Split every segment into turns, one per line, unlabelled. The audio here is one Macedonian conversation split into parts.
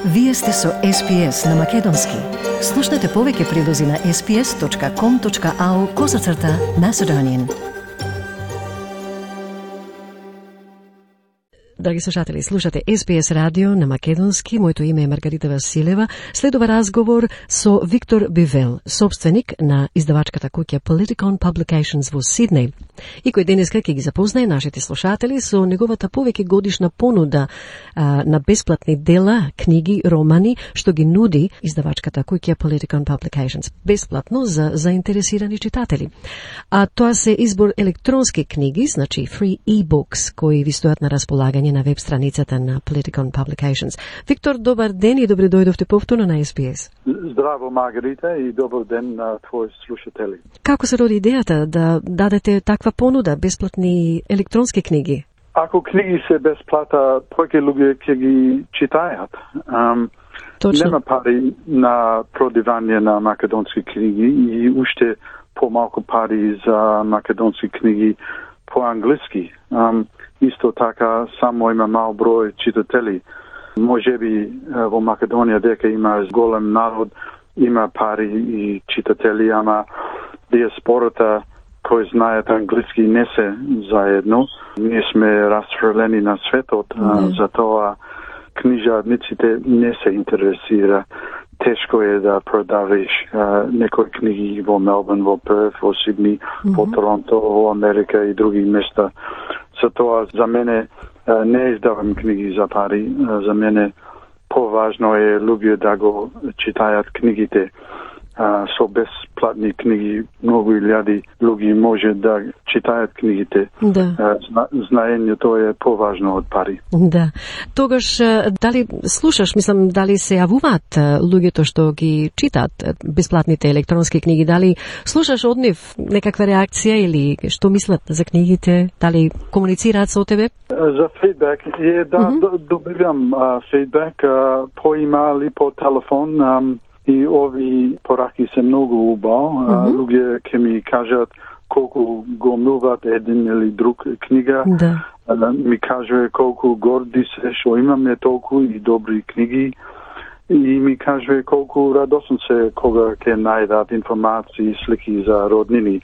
Вие сте со SPS на Македонски. Слушнете повеќе прилози на sps.com.au/Macedonian. Драги слушатели, слушате SPS радио на Македонски. Моето име е Маргарита Василева. Следува разговор со Виктор Бивел, собственик на издавачката куќа Politikon Publications во Сиднеј, и кој денеска ќе ги запознае нашите слушатели со неговата повеќе годишна понуда на бесплатни дела, книги, романи, што ги нуди издавачката куќа Politikon Publications бесплатно за заинтересирани читатели. А тоа се избор електронски книги, значи free e-books, кои ви стојат на располагање на веб страницата на Politikon Publications. Виктор, добар ден и добре дојдовте повторно на SBS.
Здраво, Маргарита, и добар ден на твои слушатели.
Како се роди идејата да дадете таква понуда, бесплатни електронски книги?
Ако книги се бесплата, повеќе луѓе ќе ги читаат. Нема пари на продавање на македонски книги и уште помалку пари за македонски книги по англиски. Исто така, само има мал број читатели. Можеби во Македонија дека има голем народ, има пари и читатели, ама диаспората кои знаат англиски не се заедно. Ние сме расфрлени на светот, затоа книжарниците не се интересира. Тешко е да продавиш некои книги во Мелбурн, во Перт, во Сидни, во Торонто, во Америка и други места. Затоа за мене не издавам книги за пари. За мене поважно е луѓе да го читаат книгите. Со бесплатни книги многу илјади луѓе може да читаат книгите.
Да.
Знаењето е поважно од пари.
Да. Тогаш дали слушаш, мислам, дали се јавуваат луѓето што ги читаат бесплатните електронски книги, дали слушаш од нив некаква реакција или што мислат за книгите, дали комуницираат со тебе?
За фидбек добивам фидбек по имейл и по телефон. И ови пораки се многу убаво. Луѓе ќе ми кажат колку го милват еден или друг книга.
Да.
Ми кажува колку горди се што имаме толку и добри книги. И ми кажува колку радосен се кога ќе најдат информации, слики за роднини.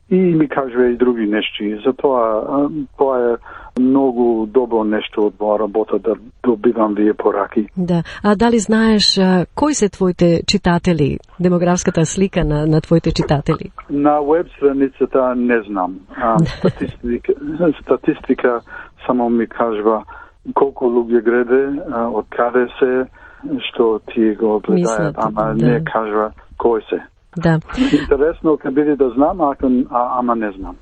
И ми кажува и други нешти. Затоа тоа е многу добро нешто од моја работа да добивам вие пораки.
Да. А дали знаеш кои се твоите читатели, демографската слика на твоите читатели?
На веб страницата не знам. Статистика само ми кажува колку луѓе гледа, од каде се, што тие го гледаат, ама не кажува кој се.
Да.
Интересно ќе биде да знам, ама не знам.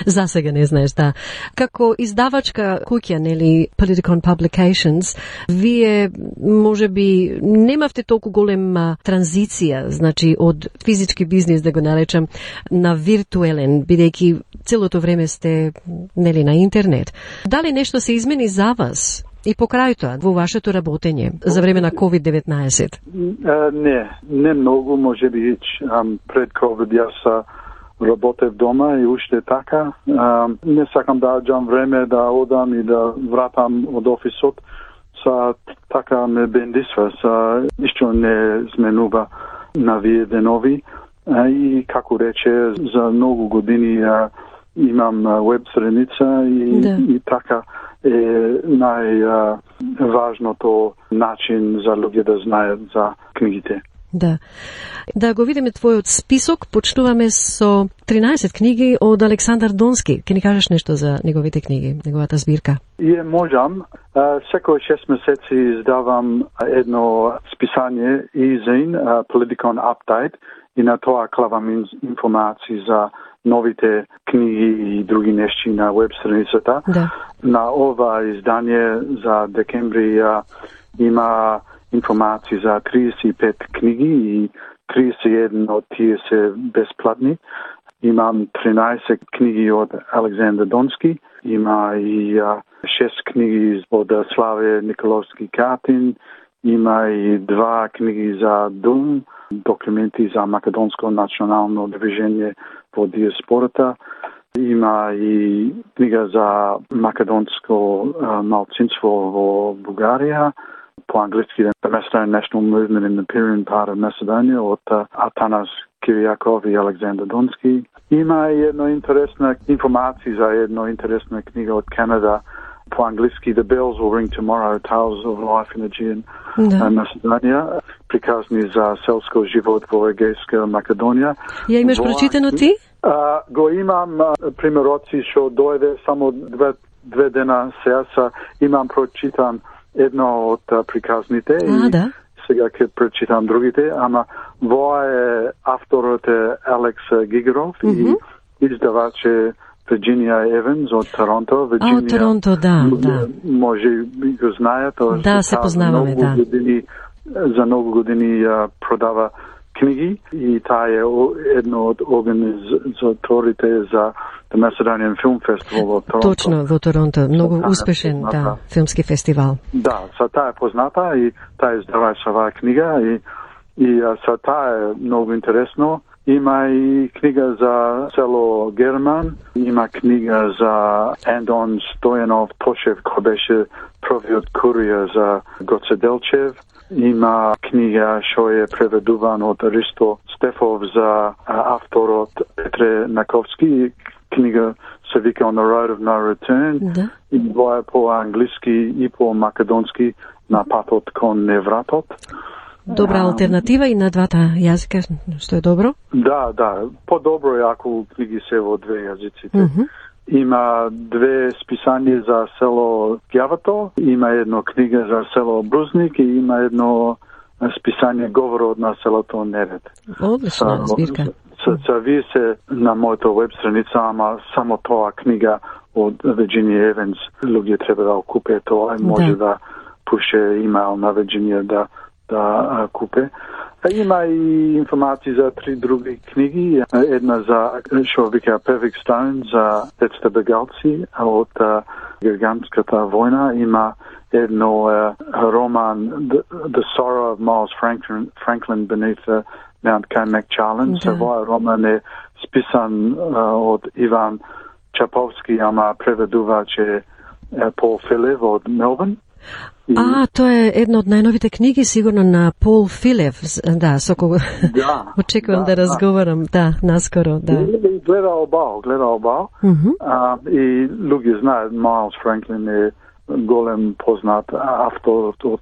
За сега не знаеш, да. Како издавачка куќа, нели, Politikon Publications, вие можеби немавте толку голема транзиција, значи од физички бизнис, да го наречам, на виртуелен, бидејќи целото време сте, нели, на интернет. Дали нешто се измени за вас и покрај тоа во вашето работење за време на COVID-19?
Не многу, можеби пред COVID јас работев дома и уште така. Не сакам да аѓам време да одам и да вратам од офисот. Така ме бендисва. Ништо не зменува на вие денови. И како рече, за многу години имам веб страница и така е најважното начин за луѓе да знаат за книгите.
Да. Да го видиме твојот список, почнуваме со 13 книги од Александар Донски. Ке ни кажеш нешто за неговите книги, неговата збирка?
Можам. Секој 6 месеци издавам едно списание e-zine, Politikon Update, и на тоа клавам информации за новите книги и други нешти на веб страницата.
Да.
На ова издание за декември има информации за 35 книги и 31 од тие се бесплатни. Имам 13 книги од Александар Донски, има и 6 книги од Славе Николовски Катин, има и 2 книги за ДУМ, документи за Македонско национално движење во диаспората. Има и книга за македонско малцинство во Бугарија, по-английски The Macedonian National Movement in the Pyrenean part of Macedonia од Атанас Кириаков и Александр Донски. Има една интересна информација за една интересна книга од Канада по-английски The Bells Will Ring Tomorrow, Tales of Life in Aegean Macedonia, приказни за селско живот во Егејска Македонија.
Ја имаш прочитано ти?
Го имам примероци што дојде само две дена сега, имам прочитан едно од приказните и сега ќе прочитам другите, ама во е авторот е Алекс Гигеров и издавач е Virginia Evans од Торонто.
Од Торонто, да.
Може би го знаат.
Да, се познаваме, да.
За многу години продава книги и таа е едно од организаторите за The Macedonian Film Festival во Торонто.
Точно, во Торонто. Многу успешен, филмски фестивал.
Да, таа е позната и таа издавач оваа книга и таа е многу интересно. Има и книга за село Герман, има книга за Андон Стојанов Тошев, кој беше првиот курија за Гоце Делчев. Има книга што е преведуван од Ристо Стефов за авторот Петре Наковски. Книга се вика On the Road of No Return.
Да.
И тоа е по-англиски и по-македонски на патот кон невратот.
Добра алтернатива и на двата јазика, што е добро?
Да. По-добро е ако книги се во две јазиците. Има две списања за село Ѓавато, има едно книга за село Брузник и има едно списање говорот на селото Неред.
Одлична збирка.
Вие се на мојата веб страница, ама само тоа книга од Virginia Evans, луѓе треба да купе тоа и може да пуше имейл на Virginia да купе. Има и информации за три други книги. Една за што вика Perfect Stone за децата бегалци од Герганската војна. Има едно роман The Sorrow of Miles Franklin Beneath the Mount Carmack Challenge. Овој роман е списан од Иван Чаповски, ама преведувач е Пол Филев од Мелбурн.
Тоа е една од најновите книги, сигурно на Пол Филев, со кого очекувам да разговарам, наскоро,
Гледа обал. И луѓе знаат, Майлс Франклин е голем познат автор од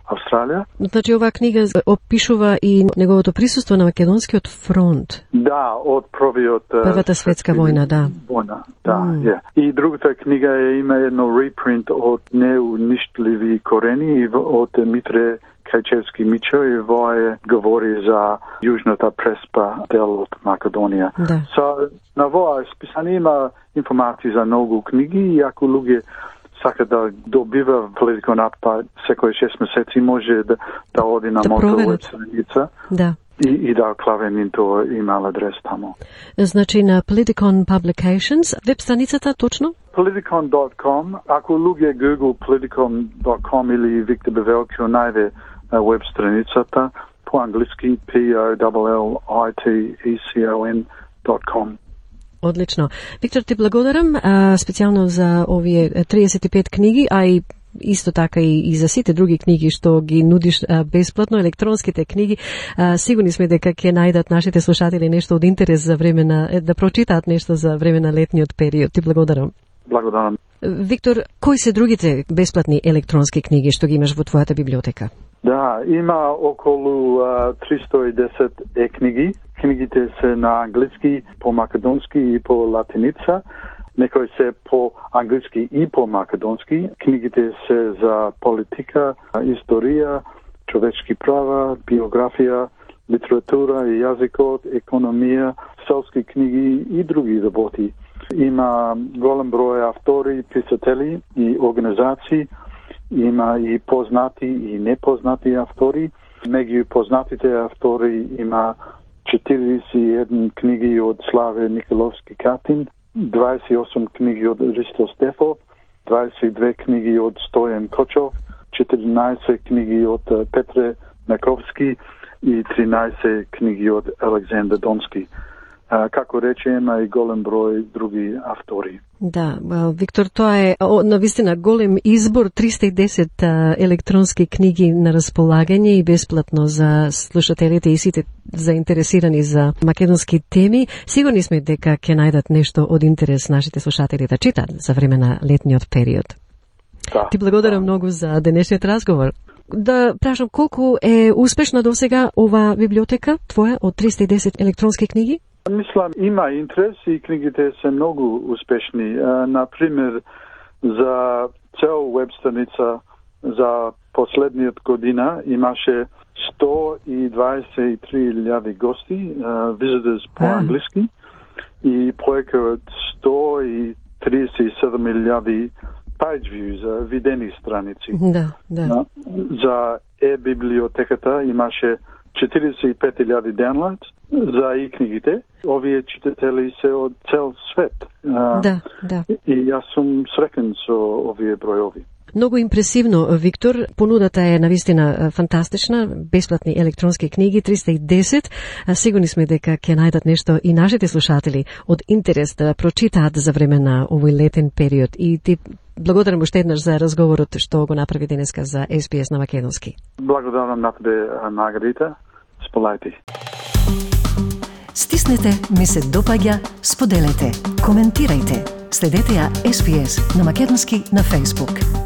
Австралија.
Значи, оваа книга опишува и неговото присуство на Македонскиот фронт.
Да, од
Првата светска војна,
И другата книга има едно репринт од Неуништливи корени од Митре Кајчевски Мичо и вој говори за јужната преспа дел од Македонија. На воја списание има информации за многу книги и ако луѓе сака да добива Political Update секој 6 месеци, може да оди на мојата веб страница и да клаве тоа имейл адрес тамо.
Значи на Politicon Publications, веб страницата точно?
Politicon.com. Ако луѓе Google Politicon.com или Виктор Бивел, ќе најде веб страницата по-англиски POLLITECON.com.
Одлично. Виктор, ти благодарам специјално за овие 35 книги, а и исто така и за сите други книги што ги нудиш бесплатно, електронските книги. Сигурни сме дека ќе најдат нашите слушатели нешто од интерес за време да прочитаат нешто за време на летниот период. Ти благодарам.
Благодарам.
Виктор, кои се другите бесплатни електронски книги што ги имаш во твојата библиотека?
Да, има околу 310 книги. Книгите се на англиски, по македонски и по латиница. Некои се по англиски и по македонски. Книгите се за политика, историја, човечки права, биографија, литература и јазикот, економија, селски книги и други работи. Има голем број автори, писатели и организации. Има и познати и непознати автори. Меѓу познатите автори има 41 книги од Славе Николовски Катин, 28 книги од Ристо Стефов, 22 книги од Стојан Кочов, 14 книги од Петре Наковски и 13 книги од Александр Донски. како рече, има и голем број други автори.
Да, Виктор, тоа е навистина голем избор, 310 електронски книги на располагање и бесплатно за слушателите и сите заинтересирани за македонски теми. Сигурни сме дека ќе најдат нешто од интерес нашите слушатели да читат за време на летниот период.
Да,
Ти благодарам многу за денешниот разговор. Да прашам, колку е успешна досега ова библиотека твоја од 310 електронски книги?
Мислам, има интерес и книгите се многу успешни. Например, за цел веб страница за последниот година имаше 123,000 гости, visitors по англиски, и повеќе од 137,000 page views, видени страници.
Да.
За e-библиотеката имаше 45,000 downloads за и книгите. Овие читатели се од цел свет.
Да.
И јас сум среќен со овие бројови.
Многу импресивно, Виктор. Понудата е навистина фантастична. Бесплатни електронски книги, 310. Сигурни сме дека ќе најдат нешто и нашите слушатели од интерес да прочитаат за време на овој летен период. И ти благодарам уште еднаш за разговорот што го направи денеска за SBS на македонски.
Благодарам на тебе, Маргарита. Сполајте.
Стиснете ми се допаѓа, споделете, коментирајте. Следете ја SBS на македонски на Facebook.